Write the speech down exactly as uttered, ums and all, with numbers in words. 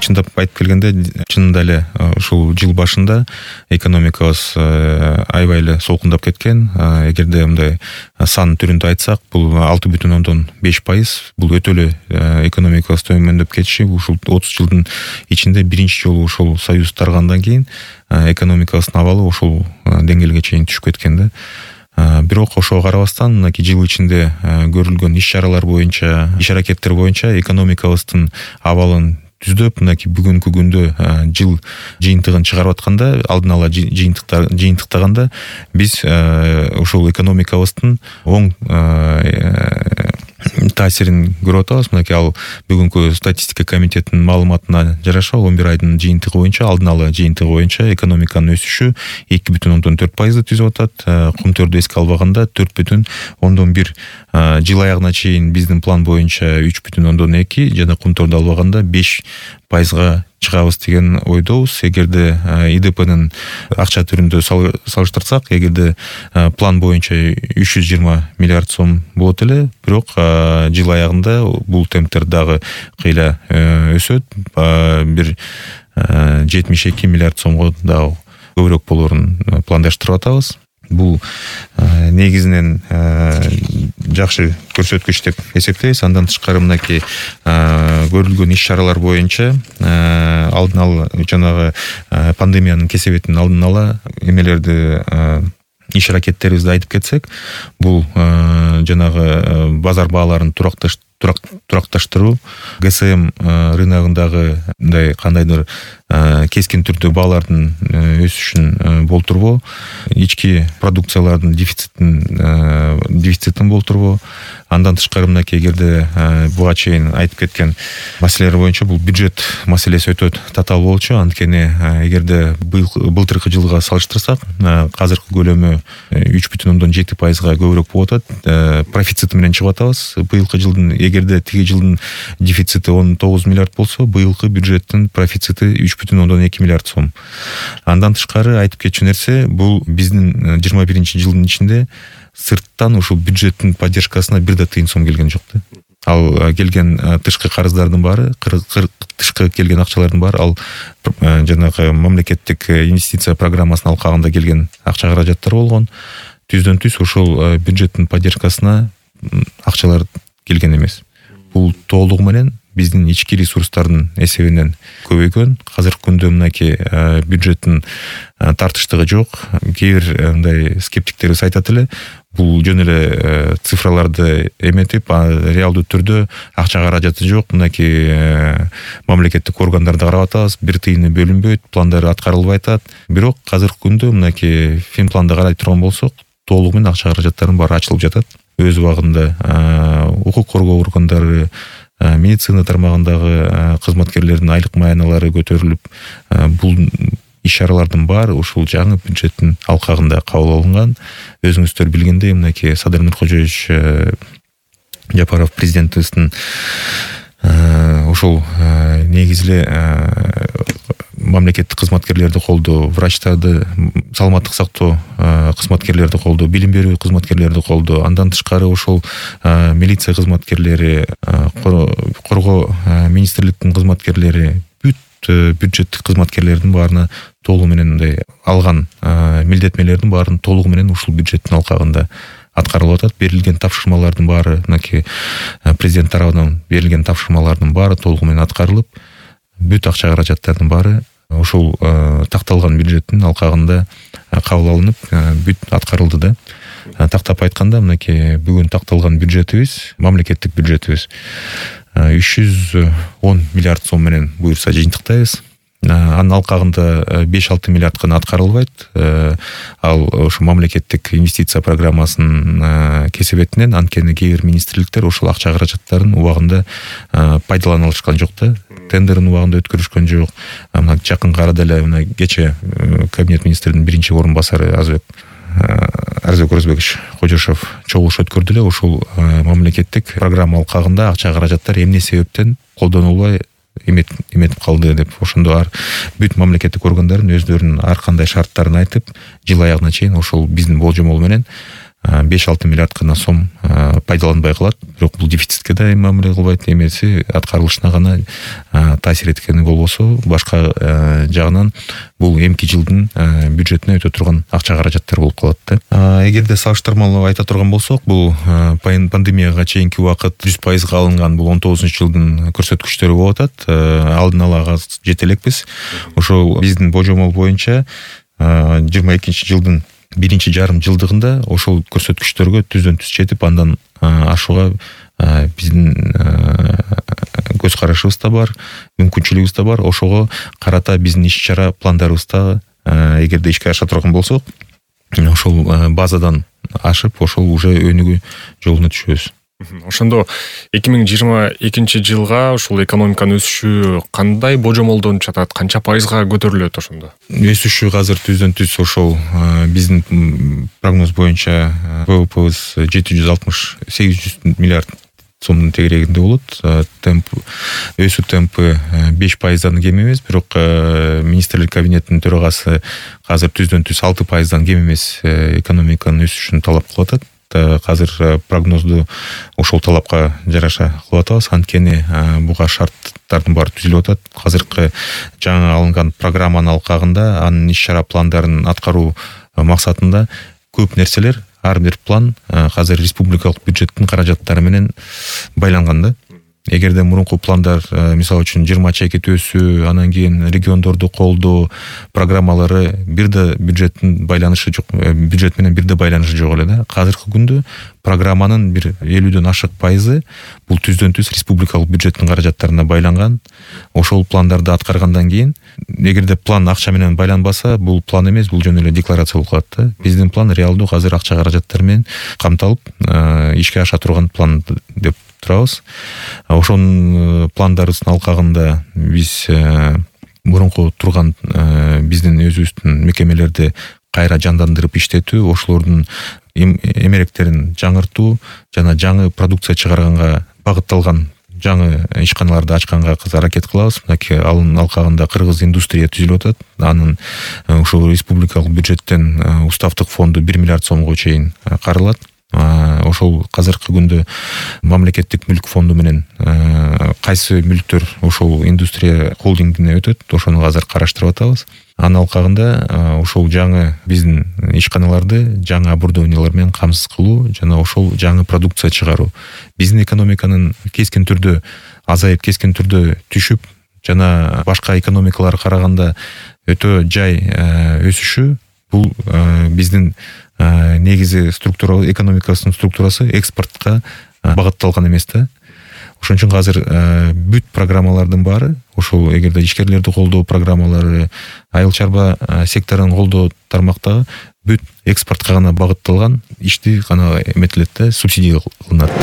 чындап айтып келгенде чынында эле ушул жыл башында экономикабыз аябай эле солкундап кеткен. Эгерде мындай сан түрүндө айтсак, бул алты бүтүн ондон беш пайыз. Бул өтө эле экономикабыз төмөндөп кетиши. Ушул отуз жылдын ичинде биринчи жолу ошол союз таргандан кийин экономикабыздын абалы ошол деңгээлге чейин түшүп кеткен да. Бирок ошого карабастан мынакей жыл ичинде көрүлгөн иш-чаралар боюнча, иш-аракеттер боюнча экономикабыздын абалын түздөп, мынакей бүгүнкү күндө жыл жыйынтыгын чыгарып атканда, алдын ала жыйынтыктар жыйынтыктаганда биз ошол экономикабыздын оң таасирин көрүп атабыз. Мынакей ал бүгүнкү статистика комитетинин маалыматына жараша он бир айдын жыйынтыгы боюнча, алдын ала жыйынтыгы боюнча экономиканын өсүшү эки бүтүн ондон төрт пайызды түзүп атат. Кумтөрдү эске албаганда төрт бүтүн ондон бир, жыл аягына чейин биздин план боюнча үч бүтүн ондон эки жана кумтөрдү албаганда беш пайызга чыгабыз деген ойдобуз. Эгерде ИДПнын акча түрүндө салыштырсак, эгерде план боюнча үч жүз жыйырма миллиард сом болот эле, бирок жыл аягында бул темптер дагы кыйла өсөт. Бир жетимиш эки миллиард сомго дагы көбүрөөк болорун пландаштырып атабыз. Бул негизинен жакшы көрсөткүч деп эсептейбиз. Андан тышкары мынакей көрүлгөн иш-чаралар боюнча алдын ала жанагы пандемиянын кесебетин алдын ала эмелерди иш-аракеттерибизди айтып кетсек, бул жанагы базар бааларын туракташ туракташтыруу, ГСМ рыногундагы мындай кандайдыр кескин түрдө баалардын өсүшүн болтурбоо, ички продукциялардын дефицитин дефицитин болтурбоо. Андан тышкары мынакей эгерде буга чейин айтып кеткен маселелер боюнча бул бюджет маселеси өтө татаал болчу. Анткени эгерде былтыркы жылга салыштырсак, азыркы көлөмү үч бүтүн ондон жети пайызга көбүрөөк болуп атат. Профицит менен чыгып атабыз. Быйылкы жылдын эгерде тиги жылдын дефицити он тогуз миллиард болсо, быйылкы бюджеттин профицити үч бүтүн ондон эки миллиард сом. Андан тышкары айтып кетчү нерсе, бул биздин жыйырма биринчи жылдын ичинде сырттан ушул бюджеттин поддержкасына бир да тыйын сом келген жок да. Ал келген тышкы карыздардын баары, тышкы келген акчалардын баары ал жанагы мамлекеттик инвестиция программасынын алкагында келген акча каражаттар болгон. Түздөн түз ошол бюджеттин поддержкасына акчалар келген эмес. Бул толугу менен биздин ички ресурстардын эсебинен көбөйгөн. Азыркы күндө мынакей бюджеттин тартыштыгы жок. Кээ бир мындай скептиктерибиз айтат эле, бул жөн эле цифраларды эметип, реалдуу түрдө акча каражаты жок. Мынакей мамлекеттик органдарда карап атабыз, бир тыйыны бөлүнбөйт, пландар аткарылбай атат. Бирок азыркы күндө мынакей финпланды карай турган болсок, толугу менен акча каражаттарынын баары ачылып жатат. Өз убагында укук коргоо органдары, медицина тармагындагы кызматкерлердин айлык маяналары көтөрүлүп, бул иш-чаралардын баары ушул жаңы бюджеттин алкагында кабыл алынган. Өзүңүздөр билгендей, мынакей Садыр Нуркожоевич Жапаров президентибиздин ошол негизи эле мамлекеттик кызматкерлерди колдоо, врачтарды, саламаттык сактоо кызматкерлерди колдоо, билим берүү кызматкерлерди колдоо, андан тышкары ошол милиция кызматкерлери, коргоо министрликтин кызматкерлери, бүт бюджеттик кызматкерлердин баарына толугу менен мындай алган милдетмелердин баарын толугу менен ушул бюджеттин алкагында аткарылып атат. Берилген тапшырмалардын баары, мынакей президент тарабынан берилген тапшырмалардын баары толугу менен аткарылып, бүт акча каражаттардын баары ошол такталган бюджеттин алкагында кабыл алынып, бүт аткарылды да. Тактап айтканда, мынакей бүгүн такталган бюджетибиз, мамлекеттик бюджетибиз үч жүз он миллиард сом менен буюрса жыйынтыктайбыз. Анын алкагында беш алты миллиард гана аткарылбайт. Ал ошо мамлекеттик инвестиция программасынын кесебетинен, анткени кээ бир министрликтер ошол акча каражаттарын убагында пайдалана алышкан жок да. Тендерин убагында өткөрүшкөн жок. Мына жакынкы арада эле мына кече кабинет министринин биринчи орун басары Азбек Арзбек Орозбекович Кожошов чогулуш өткөрдү эле. Ошол мамлекеттик программа алкагында акча каражаттар эмне себептен колдонулбай эметип калды деп, ошондо ар бүт мамлекеттик органдардын өздөрүнүн ар кандай шарттарын айтып, жыл аягына чейин ошол биздин болжомол менен беш алты миллиард гана сом пайдаланбай калат. Бирок бул дефицитке да мамиле кылбайт, эмеси аткарылышына гана таасир эткени болбосо, башка жагынан бул эмки жылдын бюджетине өтө турган акча каражаттар болуп калат да. Эгерде салыштырмалуу айта турган болсок, бул пандемияга чейинки убакыт жүз пайызга алынган бул он тогузунчу жылдын көрсөткүчтөрү болуп атат. Алдын ала жете элекпиз. Ошол биздин божомол боюнча жыйырма экинчи жылдын биринчи жарым жылдыгында ошол көрсөткүчтөргө түздөн түз жетип, андан ашууга биздин көз карашыбыз да бар, мүмкүнчүлүгүбүз да бар. Ошого карата биздин иш чара пландарыбызда эгерде ишке аша турган болсок, ошол базадан ашып, ошол уже өнүгүү жолуна түшөбүз. Ошондо эки миң жыйырма экинчи жылга ушул экономиканын өсүшү кандай божомолдонуп жатат, канча пайызга көтөрүлөт ошондо? Өсүшү азыр түздөн түз ошол биздин прогноз боюнча ВВПбыз жети жүз алтымыш сегиз жүз миллиард сомдун тегерегинде болот. Темп өсүү темпи беш пайыздан кем эмес, бирок министрлер кабинетинин төрагасы азыр түздөн түз алты пайыздан кем эмес экономиканын өсүшүн талап кылып атат. Азыр прогнозду ошол талапка жараша кылып атабыз. Анткени буга шарттардын баары түзүлүп атат. Азыркы жаңы алынган программанын алкагында анын иш чара пландарын аткаруу максатында көп нерселер, ар бир план азыр республикалык бюджеттин каражаттары менен байланган да. Эгерде мурунку пландар, мисалы үчүн жыйырма чекит өсүү, анан кийин региондорду колдоо программалары бирде бюджеттин байланышы жок, бюджет менен бирде байланышы жок эле да. Азыркы күндө программанын бир элүүдөн ашык пайызы бул түздөн түз республикалык бюджеттин каражаттарына байланган. Ошол пландарды аткаргандан кийин, эгерде план акча менен байланбаса, бул план эмес, бул жөн эле декларация болуп калат да. Биздин план реалдуу азыр акча каражаттары менен камталып, ишке аша турган план деп турабыз. Ошонун пландарыбыздын алкагында биз мурунку турган биздин өзүбүздүн мекемелерди кайра жандандырып иштетүү, ошолордун эмеректерин жаңыртуу жана жаңы продукция чыгарганга багытталган жаңы ишканаларды ачканга аракет кылабыз. Мынакей анын алкагында Кыргыз индустрия түзүлүп атат. Анын ушул республикалык бюджеттен уставдык фонду бир миллиард сомго чейин каралат. Ошол азыркы күндө мамлекеттик мүлк фонду менен кайсы мүлктөр ошол индустрия холдингине өтөт, ошону азыр караштырып атабыз. Анын алкагында ошол жаңы биздин ишканаларды жаңы оборудованиялар менен камсыз кылуу жана ошол жаңы продукция чыгаруу биздин экономиканын кескин түрдө азайып, кескин түрдө түшүп жана башка экономикаларга караганда өтө жай өсүшү, бул биздин негизи структура, экономикасынын структурасы экспортко багытталган эмес да. Ошон үчүн азыр бүт программалардын баары, ошол эгерде ишкерлерди колдоо программалары, айыл чарба секторун колдоо тармактагы бүт экспортко гана багытталган ишти гана эметилет да, субсидия кылынат.